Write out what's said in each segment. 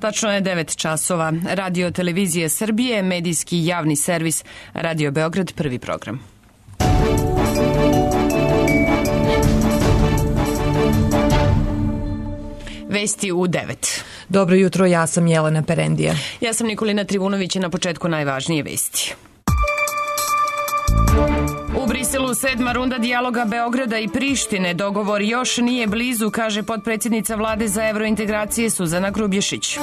Tačno je 9 časova. Radio Televizije Srbije, medijski javni servis, Radio Beograd, prvi program. Vesti u 9. Dobro jutro, ja sam Jelena Perendija. Ja sam Nikolina Trivunović i na početku najvažnije vesti. U Briselu 7. runda dijaloga Beograda i Prištine. Dogovor još nije blizu, kaže potpredsjednica vlade za evrointegracije Suzana Grubješić.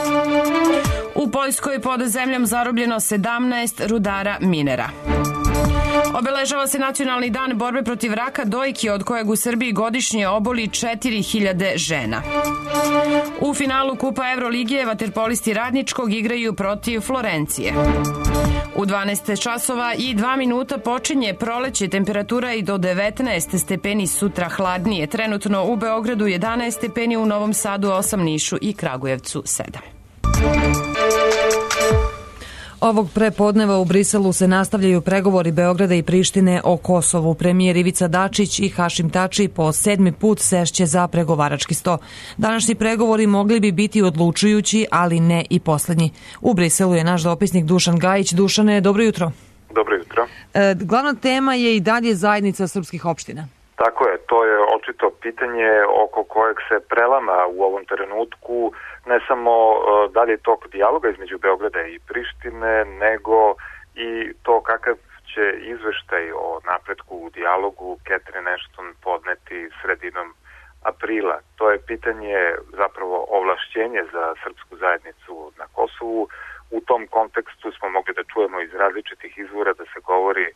U Poljskoj pod zemljom zarobljeno 17 rudara minera. Obeležava se Nacionalni dan borbe protiv raka dojke, od kojeg u Srbiji godišnje oboli 4000 žena. U finalu Kupa Evrolige vaterpolisti Radničkog igraju protiv Florencije. U 12 časova i 2 minuta počinje proleće, temperatura i do 19 stepeni, sutra hladnije. Trenutno u Beogradu 11 stepeni, u Novom Sadu 8, Nišu i Kragujevcu 7. Ovog prepodneva u Briselu se nastavljaju pregovori Beograda i Prištine o Kosovu. Premijer Ivica Dačić i Hašim Tači po 7. put sešće za pregovarački sto. Današnji pregovori mogli bi biti odlučujući, ali ne i poslednji. U Briselu je naš dopisnik Dušan Gajić. Dušane, dobro jutro. Dobro jutro. Glavna tema je i dalje zajednica srpskih opština. Tako je, to je očito pitanje oko kojeg se prelama u ovom trenutku ne samo dalje tok dijaloga između Beograda i Prištine, nego i to kakav će izveštaj o napretku u dijalogu Catherine Ashton podneti sredinom aprila. To je pitanje zapravo ovlašćenje za srpsku zajednicu na Kosovu. U tom kontekstu smo mogli da čujemo iz različitih izvora da se govori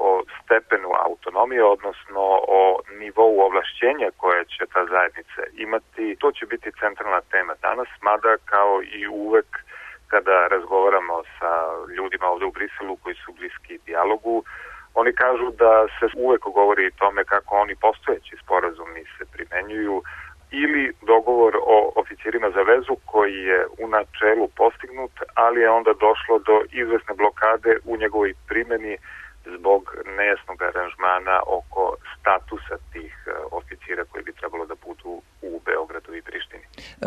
o stepenu autonomije, odnosno o nivou ovlašćenja koje će ta zajednica imati. To će biti centralna tema danas, mada kao i uvek kada razgovaramo sa ljudima ovde u Briselu koji su bliski dijalogu, oni kažu da se uvek govori o tome kako oni postojeći sporazumi se primenjuju ili dogovor o oficirima za vezu koji je u načelu postignut, ali je onda došlo do izvesne blokade u njegovoj primjeni zbog nejasnog aranžmana oko statusa tih oficira koji bi trebalo da budu u Beogradu i Prištini.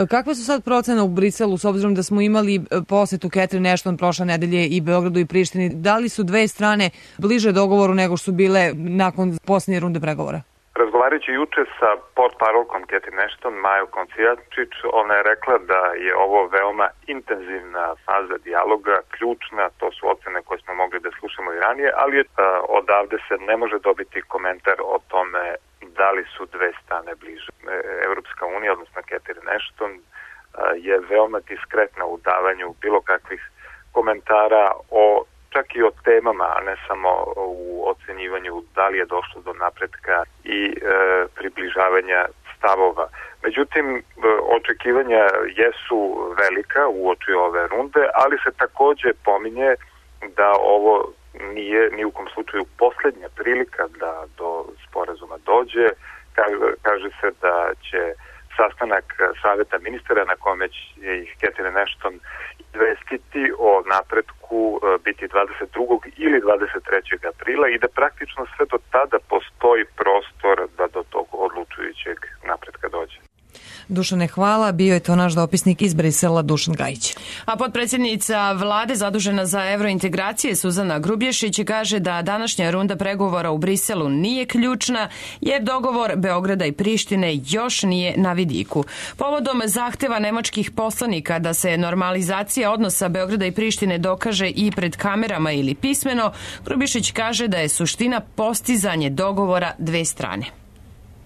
Kakve su sad procene u Briselu, s obzirom da smo imali posetu Catherine Ashton prošle nedelje i Beogradu i Prištini? Da li su dve strane bliže dogovoru nego što su bile nakon posljednje runde pregovora? Razgovarajući juče sa portparolkom Catherine Ashton, Majom Koncijačić, ona je rekla da je ovo veoma intenzivna faza dijaloga, ključna, to su ocene koje smo mogli da slušamo i ranije, ali odavde se ne može dobiti komentar o tome da li su dve strane bliže. Evropska unija, odnosno Catherine Ashton, je veoma diskretna u davanju bilo kakvih komentara čak i o temama, a ne samo u ocenjivanju da li je došlo do napretka i približavanja stavova. Međutim, očekivanja jesu velika uoči ove runde, ali se takođe pominje da ovo nije ni u kom slučaju poslednja prilika da do sporazuma dođe. Kaže se da će sastanak saveta ministara na kome će ih Catherine Ashton izvestiti o napretku biti 22. ili 23. aprila i da praktično sve do tada postoji prostor da do tog odlučujućeg napretka dođe. Dušane, hvala. Bio je to naš dopisnik iz Brisela, Dušan Gajić. A potpredsjednica vlade zadužena za evrointegracije Suzana Grubješić kaže da današnja runda pregovora u Briselu nije ključna jer dogovor Beograda i Prištine još nije na vidiku. Povodom zahteva nemačkih poslanika da se normalizacija odnosa Beograda i Prištine dokaže i pred kamerama ili pismeno, Grubješić kaže da je suština postizanje dogovora dve strane.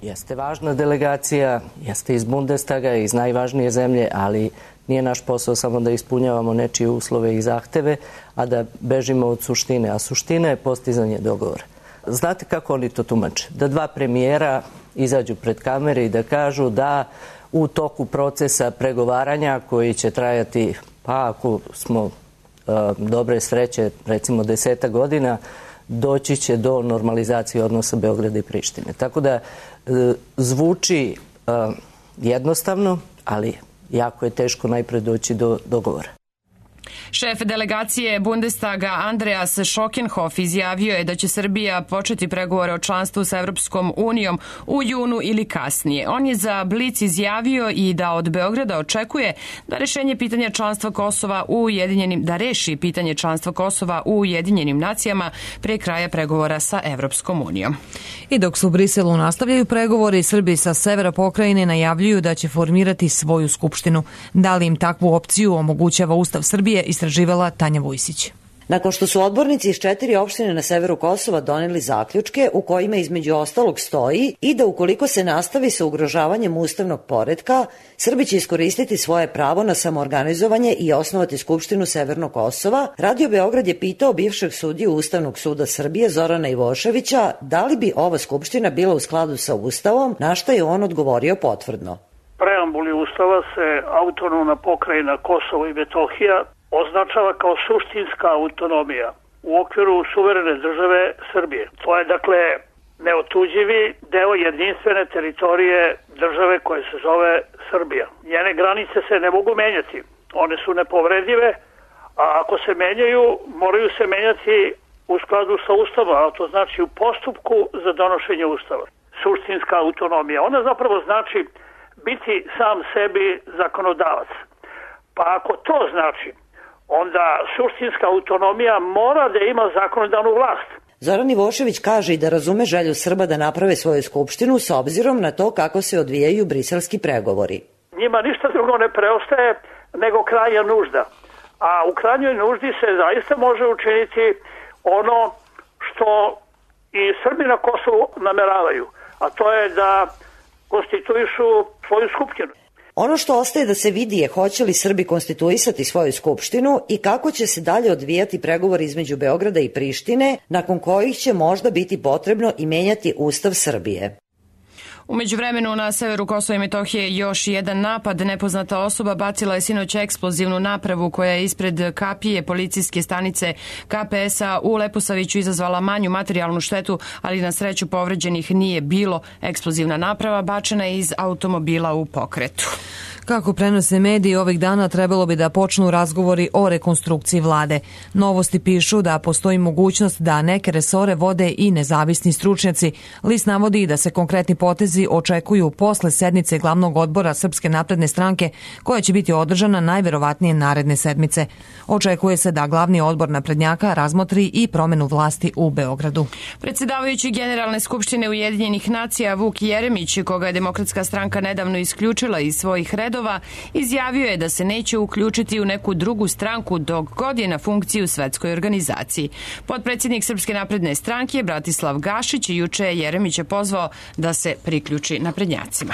Jeste važna delegacija, jeste iz Bundestaga, iz najvažnije zemlje, ali nije naš posao samo da ispunjavamo nečije uslove i zahteve, a da bežimo od suštine. A suština je postizanje dogovora. Znate kako oni to tumače? Da dva premijera izađu pred kamere i da kažu da u toku procesa pregovaranja koji će trajati, pa ako smo dobre sreće, recimo 10 godina, doći će do normalizacije odnosa Beograda i Prištine. Tako da zvuči jednostavno, ali jako je teško najpre doći do dogovora. Šef delegacije Bundestaga Andreas Schockenhoff izjavio je da će Srbija početi pregovore o članstvu sa Evropskom unijom u junu ili kasnije. On je za Blic izjavio i da od Beograda očekuje da reši pitanje članstva Kosova u Ujedinjenim nacijama pre kraja pregovora sa Evropskom unijom. I dok se u Briselu nastavljaju pregovori, Srbi sa severa pokrajine najavljuju da će formirati svoju skupštinu. Da li im takvu opciju omogućava Ustav Srbije, istraživala Tanja Vujsić. Nakon što su odbornici iz 4 opštine na severu Kosova doneli zaključke u kojima između ostalog stoji i da ukoliko se nastavi sa ugrožavanjem ustavnog poretka, Srbi će iskoristiti svoje pravo na samoorganizovanje i osnovati Skupštinu Severnog Kosova, Radio Beograd je pitao bivšeg sudiju Ustavnog suda Srbije Zorana Ivoševića da li bi ova skupština bila u skladu sa Ustavom, na što je on odgovorio potvrdno. Preambuli Ustava se autonomna pokrajina Kosovo i Metohija označava kao suštinska autonomija u okviru suverene države Srbije. To je dakle neotuđivi deo jedinstvene teritorije države koje se zove Srbija. Njene granice se ne mogu menjati, one su nepovredive, a ako se menjaju, moraju se menjati u skladu sa Ustavom, a to znači u postupku za donošenje Ustava. Suštinska autonomija, ona zapravo znači biti sam sebi zakonodavac. Pa ako to znači, onda suštinska autonomija mora da ima zakonodavnu vlast. Zoran Ivošević kaže i da razume želju Srba da naprave svoju skupštinu s obzirom na to kako se odvijaju briselski pregovori. Njima ništa drugo ne preostaje nego krajnja nužda. A u krajnjoj nuždi se zaista može učiniti ono što i Srbi na Kosovu nameravaju, a to je da konstituišu svoju skupštinu. Ono što ostaje da se vidi je hoće li Srbi konstituisati svoju skupštinu i kako će se dalje odvijati pregovori između Beograda i Prištine, nakon kojih će možda biti potrebno i menjati Ustav Srbije. U međuvremenu na severu Kosova i Metohije još jedan napad. Nepoznata osoba bacila je sinoć eksplozivnu napravu koja je ispred kapije policijske stanice KPS-a u Leposaviću izazvala manju materijalnu štetu, ali na sreću povređenih nije bilo. Eksplozivna naprava bačena je iz automobila u pokretu. Kako prenose mediji, ovih dana trebalo bi da počnu razgovori o rekonstrukciji vlade. Novosti pišu da postoji mogućnost da neke resore vode i nezavisni stručnjaci. List navodi i da se konkretni potezi očekuju posle sednice glavnog odbora Srpske napredne stranke, koja će biti održana najverovatnije naredne sedmice. Očekuje se da glavni odbor naprednjaka razmotri i promenu vlasti u Beogradu. Predsedavajući Generalne skupštine Ujedinjenih nacija Vuk Jeremić, koga je Demokratska stranka nedavno isključila iz svojih redova, izjavio je da se neće uključiti u neku drugu stranku dok god je na funkciji u svetskoj organizaciji. Potpredsjednik Srpske napredne stranke Bratislav Gašić juče je Jeremića pozvao da se priključi naprednjacima.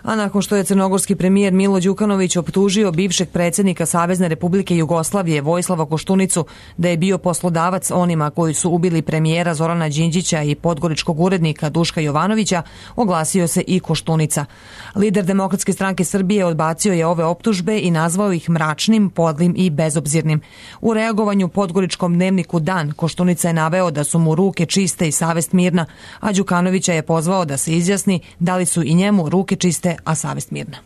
A nakon što je crnogorski premijer Milo Đukanović optužio bivšeg predsjednika Savezne Republike Jugoslavije Vojislava Koštunicu da je bio poslodavac onima koji su ubili premijera Zorana Đinđića i podgoričkog urednika Duška Jovanovića, oglasio se i Koštunica. Lider Demokratske stranke Srbije odbacio je ove optužbe i nazvao ih mračnim, podlim i bezobzirnim. U reagovanju podgoričkom dnevniku Dan, Koštunica je naveo da su mu ruke čiste i savest mirna, a Đukanovića je pozvao da se izjasni da li su i njemu ruke čiste, a savest mirna.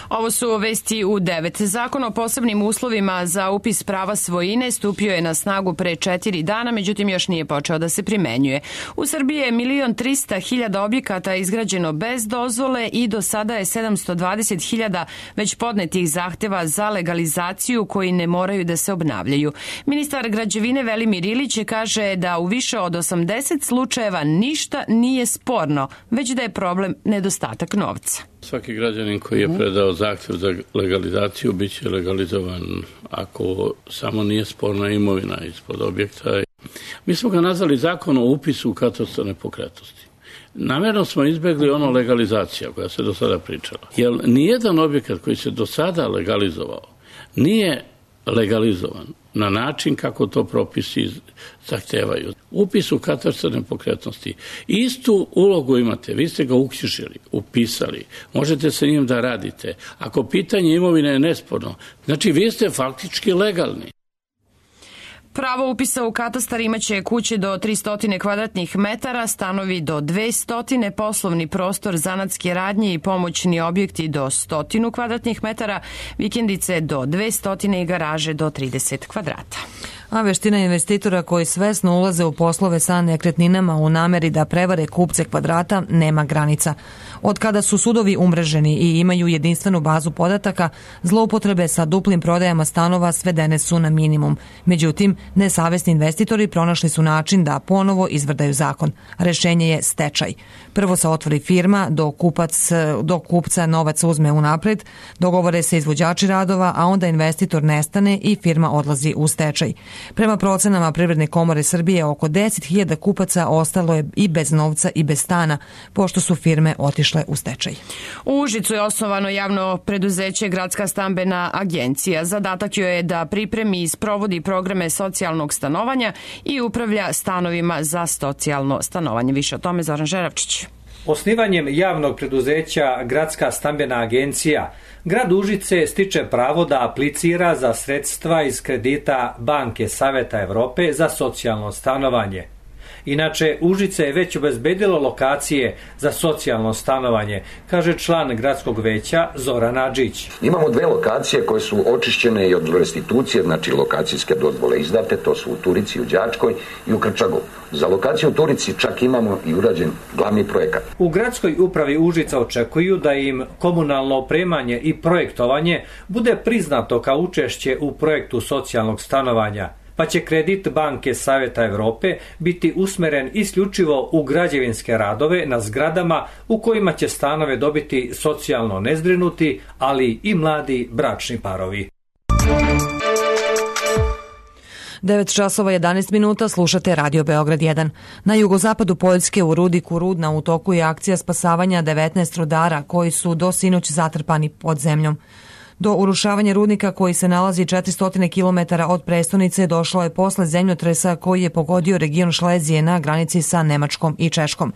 Ovo su vesti u 9. Zakon o posebnim uslovima za upis prava svojine stupio je na snagu pre 4 dana, međutim još nije počeo da se primenjuje. U Srbiji je 1.300.000 objekata izgrađeno bez dozvole i do sada je 720.000 već podnetih zahteva za legalizaciju koji ne moraju da se obnavljaju. Ministar građevine Velimir Ilić kaže da u više od 80 slučajeva ništa nije sporno, već da je problem nedostatak novca. Svaki građanin koji je predao zahtev za legalizaciju bit će legalizovan ako samo nije sporna imovina ispod objekta. Mi smo ga nazvali zakon o upisu u katastar nepokretnosti. Namjerno smo izbjegli ono legalizacija koja se do sada pričala. Jer nijedan objekat koji se do sada legalizovao nije legalizovan na način kako to propisi zahtevaju. Upis u katastar nepokretnosti. Istu ulogu imate, vi ste ga uknjižili, upisali, možete sa njim da radite. Ako pitanje imovine je nesporno, znači vi ste faktički legalni. pravo upisa u katastar imaće kuće do 300 kvadratnih metara, stanovi do 200, poslovni prostor, zanatske radnje i pomoćni objekti do 100 kvadratnih metara, vikendice do 200 i garaže do 30 kvadrata. A veština investitora koji svesno ulaze u poslove sa nekretninama u nameri da prevare kupce kvadrata nema granica. Od kada su sudovi umreženi i imaju jedinstvenu bazu podataka, zloupotrebe sa duplim prodajama stanova svedene su na minimum. Međutim, nesavesni investitori pronašli su način da ponovo izvrdaju zakon. Rešenje je stečaj. Prvo se otvori firma, dok kupca novac uzme unapred, dogovore se izvođači radova, a onda investitor nestane i firma odlazi u stečaj. Prema procenama Privredne komore Srbije, oko 10.000 kupaca ostalo je i bez novca i bez stana, pošto su firme otišle u stečaj. U Užicu je osnovano javno preduzeće Gradska stambena agencija. Zadatak joj je da pripremi i sprovodi programe socijalnog stanovanja i upravlja stanovima za socijalno stanovanje. Više o tome Zoran Žeravčić. Osnivanjem javnog preduzeća Gradska stambena agencija, grad Užice stiče pravo da aplicira za sredstva iz kredita Banke Saveta Evrope za socijalno stanovanje. Inače, Užice je već obezbedilo lokacije za socijalno stanovanje, kaže član gradskog veća Zoran Adžić. Imamo 2 lokacije koje su očišćene i od restitucije, znači lokacijske dozvole izdate, to su u Turici, u Đačkoj i u Krčagu. Za lokaciju u Turici čak imamo i urađen glavni projekat. U gradskoj upravi Užica očekuju da im komunalno opremanje i projektovanje bude priznato kao učešće u projektu socijalnog stanovanja, pa će kredit Banke Saveta Evrope biti usmeren isključivo u građevinske radove na zgradama u kojima će stanove dobiti socijalno nezbrinuti, ali i mladi bračni parovi. 9 časova 11 minuta, slušate Radio Beograd 1. Na jugozapadu Poljske u rudniku Rudna u toku je akcija spasavanja 19 rudara koji su do sinoć zatrpani pod zemljom. Do urušavanja rudnika koji se nalazi 400 km od prestonice došlo je posle zemljotresa koji je pogodio region Šlezije na granici sa Nemačkom i Češkom.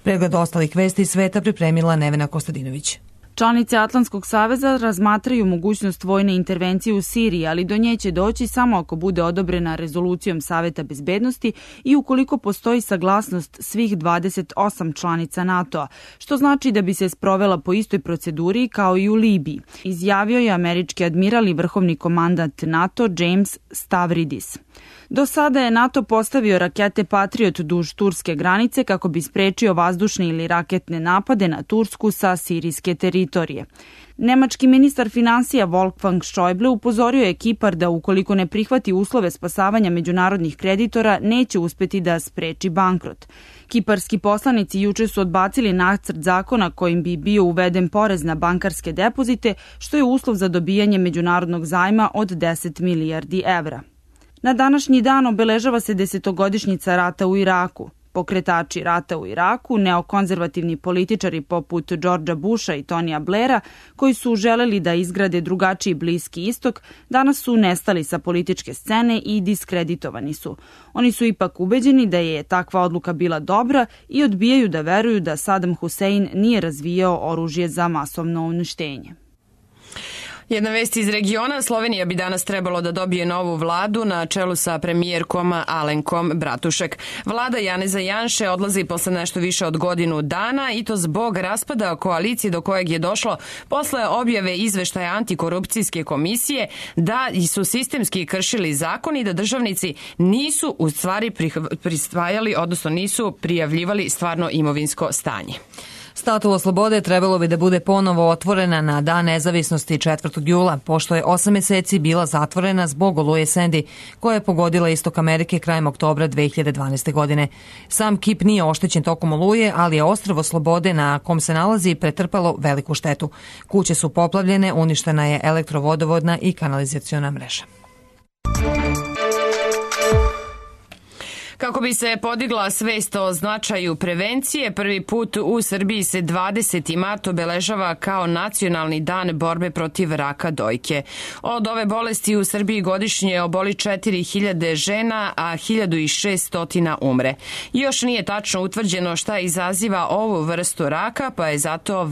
Pregled ostalih vesti sveta pripremila Nevena Kostadinović. Članice Atlantskog saveza razmatraju mogućnost vojne intervencije u Siriji, ali do nje će doći samo ako bude odobrena rezolucijom Saveta bezbednosti i ukoliko postoji saglasnost svih 28 članica NATO-a, što znači da bi se sprovela po istoj proceduri kao i u Libiji, izjavio je američki admiral i vrhovni komandant NATO James Stavridis. Do sada je NATO postavio rakete Patriot duž turske granice kako bi sprečio vazdušne ili raketne napade na Tursku sa sirijske teritorije. Nemački ministar finansija Wolfgang Schäuble upozorio je Kipar da ukoliko ne prihvati uslove spasavanja međunarodnih kreditora, neće uspeti da spreči bankrot. Kiparski poslanici juče su odbacili nacrt zakona kojim bi bio uveden porez na bankarske depozite, što je uslov za dobijanje međunarodnog zajma od 10 milijardi evra. Na današnji dan obeležava se 10-godišnjica rata u Iraku. Pokretači rata u Iraku, neokonzervativni političari poput Georgea Busha i Tonija Blaira, koji su želeli da izgrade drugačiji Bliski istok, danas su nestali sa političke scene i diskreditovani su. Oni su ipak ubeđeni da je takva odluka bila dobra i odbijaju da veruju da Saddam Hussein nije razvijao oružje za masovno uništenje. Jedna vest iz regiona, Slovenija bi danas trebalo da dobije novu vladu na čelu sa premijerkom Alenkom Bratušek. Vlada Janeza Janše odlazi posle nešto više od godinu dana i to zbog raspada koalicije do kojeg je došlo posle objave izveštaja antikorupcijske komisije da su sistemski kršili zakon i da državnici nisu u stvari prisvajali, odnosno nisu prijavljivali stvarno imovinsko stanje. Statua Slobode trebalo bi da bude ponovo otvorena na Dan nezavisnosti 4. jula, pošto je 8 meseci bila zatvorena zbog oluje Sandy, koja je pogodila istok Amerike krajem oktobra 2012. godine. Sam kip nije oštećen tokom oluje, ali je ostrvo Slobode na kom se nalazi pretrpalo veliku štetu. Kuće su poplavljene, uništena je elektrovodovodna i kanalizaciona mreža. Kako bi se podigla svest o značaju prevencije, prvi put u Srbiji se 20. mart obeležava kao nacionalni dan borbe protiv raka dojke. Od ove bolesti u Srbiji godišnje oboli 4000 žena, a 1600 umre. Još nije tačno utvrđeno šta izaziva ovu vrstu raka, pa je zato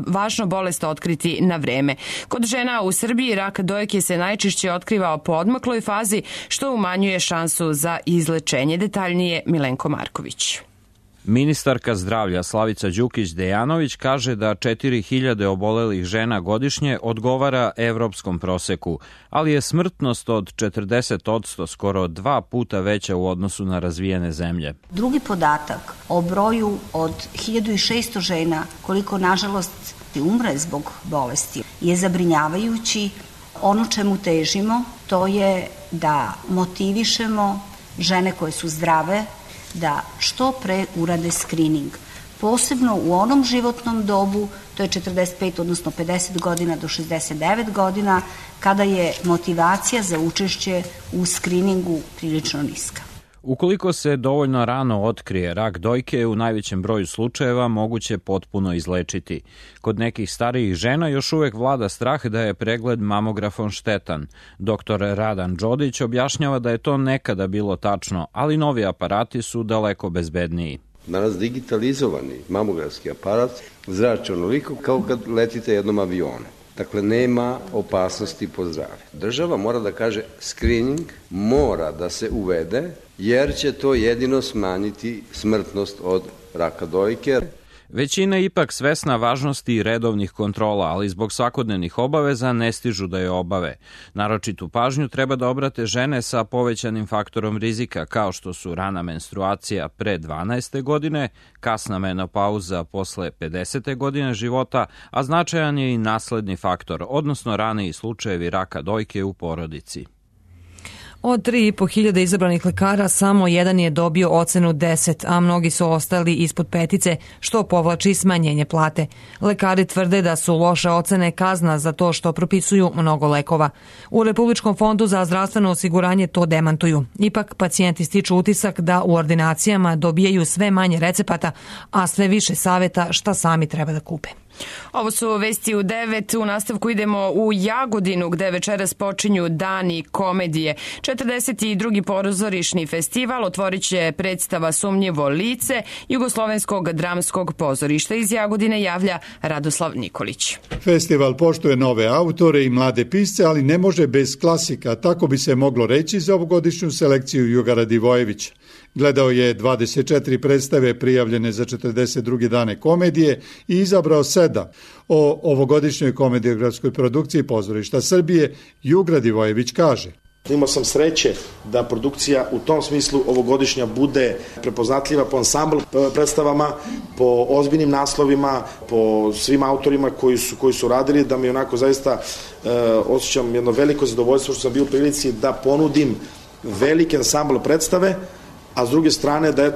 važno bolest otkriti na vreme. Kod žena u Srbiji rak dojke se najčešće otkriva po odmakloj fazi, što umanjuje šansu za izlečenje. Detaljnije Milenko Marković. Ministarka zdravlja Slavica Đukić-Dejanović kaže da 4000 obolelih žena godišnje odgovara evropskom proseku, ali je smrtnost od 40% skoro 2 puta veća u odnosu na razvijene zemlje. Drugi podatak o broju od 1600 žena koliko nažalost umre zbog bolesti je zabrinjavajući. Ono čemu težimo to je da motivišemo žene koje su zdrave da što pre urade skrining. Posebno u onom životnom dobu, to je 45, odnosno 50 godina do 69 godina, kada je motivacija za učešće u skriningu prilično niska. Ukoliko se dovoljno rano otkrije, rak dojke je u najvećem broju slučajeva moguće potpuno izlečiti. Kod nekih starijih žena još uvek vlada strah da je pregled mamografom štetan. Dr. Radan Đodić objašnjava da je to nekada bilo tačno, ali novi aparati su daleko bezbedniji. Danas digitalizovani mamografski aparat zrači onoliko kao kad letite jednom avionu. Dakle, nema opasnosti po zdravlje. Država mora da kaže screening mora da se uvede jer će to jedino smanjiti smrtnost od raka dojke. Većina je ipak svesna važnosti redovnih kontrola, ali zbog svakodnevnih obaveza ne stižu da je obave. Naročitu pažnju treba da obrate žene sa povećanim faktorom rizika, kao što su rana menstruacija pre 12. godine, kasna menopauza posle 50. godine života, a značajan je i nasledni faktor, odnosno raniji slučajevi raka dojke u porodici. Od 3.500 izabranih lekara samo jedan je dobio ocenu 10, a mnogi su ostali ispod 5, što povlači smanjenje plate. Lekari tvrde da su loše ocene kazna za to što propisuju mnogo lekova. U Republičkom fondu za zdravstveno osiguranje to demantuju. Ipak pacijenti stiču utisak da u ordinacijama dobijaju sve manje recepata, a sve više saveta šta sami treba da kupe. Ovo su vesti u 9. U nastavku idemo u Jagodinu, gde večeras počinju Dani komedije. 42. pozorišni festival otvorit će predstava Sumnjivo lice Jugoslovenskog dramskog pozorišta. Iz Jagodine javlja Radoslav Nikolić. Festival poštuje nove autore i mlade pisce, ali ne može bez klasika. Tako bi se moglo reći za ovogodišnju selekciju Juga Radivojevića. Gledao je 24 predstave prijavljene za 42. dane komedije i izabrao 7. O ovogodišnjoj komediografskoj produkciji Pozorišta Srbije Jug Radivojević kaže: Imao sam sreće da produkcija u tom smislu ovogodišnja bude prepoznatljiva po ansambl predstavama, po ozbiljnim naslovima, po svim autorima koji su radili, da mi onako zaista osjećam jedno veliko zadovoljstvo što sam bio u prilici da ponudim veliki ansambl predstave, a s druge strane da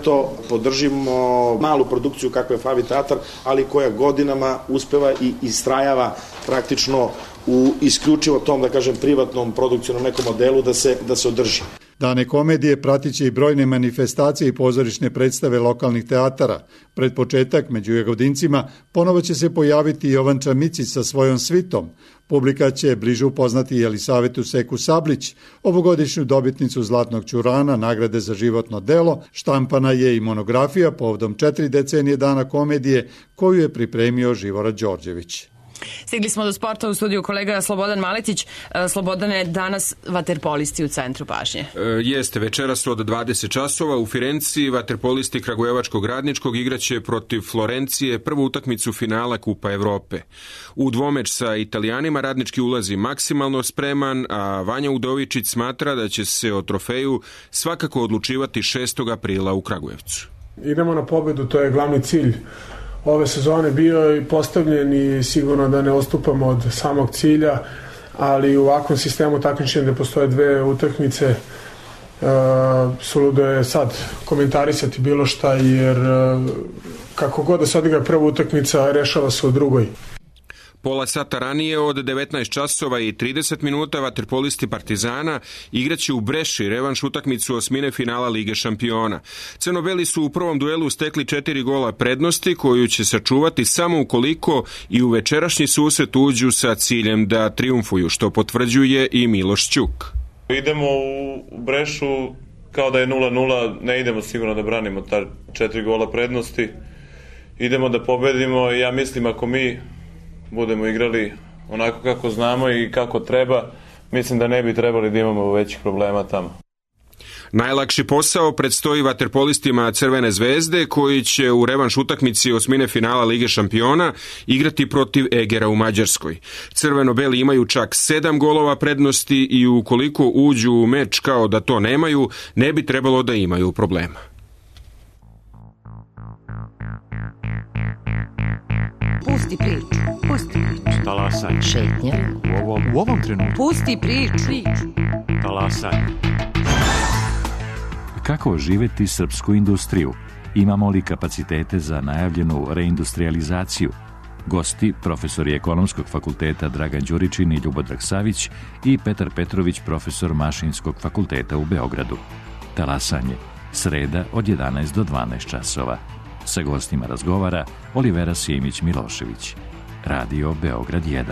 podržimo malu produkciju kakva je Favi teatar, ali koja godinama uspeva i istrajava praktično u isključivo tom, da kažem, privatnom produkcijnom nekom modelu da se održi. Dane komedije pratit će i brojne manifestacije i pozorišne predstave lokalnih teatara. Pred početak, među Jagodincima, ponovo će se pojaviti Jovan Čamicić sa svojom svitom. Publika će bliže upoznati Jelisavetu Seku Sablić, ovogodišnju dobitnicu Zlatnog ćurana, nagrade za životno delo. Štampana je i monografija povodom 4 decenije Dana komedije, koju je pripremio Živorad Đorđević. Stigli smo do sporta, u studiju kolega Slobodan Maletić. Slobodane, danas vaterpolisti u centru pažnje. Jeste, večeras od 20 časova u Firenci vaterpolisti Kragujevačkog Radničkog igraće protiv Florencije prvu utakmicu finala Kupa Evrope. U dvomeč sa Italijanima Radnički ulazi maksimalno spreman, a Vanja Udovičić smatra da će se o trofeju svakako odlučivati 6. aprila u Kragujevcu. Idemo na pobedu, to je glavni cilj ove sezone bio i postavljen i sigurno da ne odstupamo od samog cilja, ali u ovakvom sistemu takmičenja gde postoje 2 utakmice suludo je sad komentarisati bilo šta, jer kako god da se odigra prva utakmica, rešava se u drugoj. Pola sata ranije od 19 časova i 30 minuta vaterpolisti Partizana igraće u Breši revanš utakmicu osmine finala Lige šampiona. Crno-beli su u prvom duelu stekli 4 gola prednosti koju će sačuvati samo ukoliko i u večerašnji susret uđu sa ciljem da triumfuju, što potvrđuje i Miloš Ćuk. Idemo u Brešu kao da je 0-0, ne idemo sigurno da branimo ta 4 gola prednosti. Idemo da pobedimo i ja mislim ako mi budemo igrali onako kako znamo i kako treba, mislim da ne bi trebali da imamo većih problema tamo. Najlakši posao predstoji vaterpolistima Crvene zvezde koji će u revanš utakmici osmine finala Lige šampiona igrati protiv Egera u Mađarskoj. Crveno-beli imaju čak 7 golova prednosti i ukoliko uđu u meč kao da to nemaju, ne bi trebalo da imaju problema. Pusti priču. Talasaj. Šetnja. U ovom trenutku. Pusti priču. Talasaj. Kako oživeti srpsku industriju? Imamo li kapacitete za najavljenu reindustrializaciju? Gosti, profesori Ekonomskog fakulteta Dragan Đuričin i Ljubodrag Savić i Petar Petrović, profesor Mašinskog fakulteta u Beogradu. Talasanje. Sreda od 11 do 12 časova. Sa gostima razgovara Olivera Simić-Milošević. Radio Beograd 1.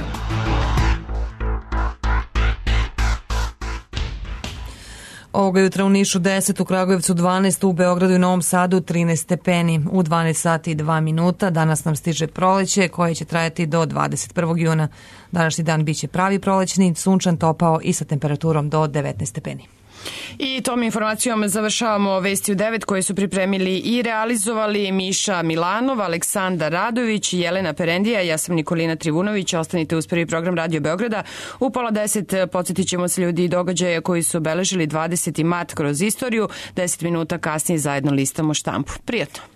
Ovoga jutra u Nišu 10, u Kragujevcu 12, u Beogradu i Novom Sadu 13 stepeni. U 12 sati i 2 minuta danas nam stiže proleće koje će trajati do 21. juna. Današnji dan biće pravi prolećni, sunčan, topao i sa temperaturom do 19 stepeni. I tom informacijom završavamo Vesti u 9 koje su pripremili i realizovali Miša Milanov, Aleksandar Radović, Jelena Perendija, ja sam Nikolina Trivunović. Ostanite uz prvi program Radio Beograda. U pola 10 podsjetit ćemo se ljudi i događaja koji su obeležili 20. mart kroz istoriju. 10 minuta kasnije zajedno listamo štampu. Prijatno.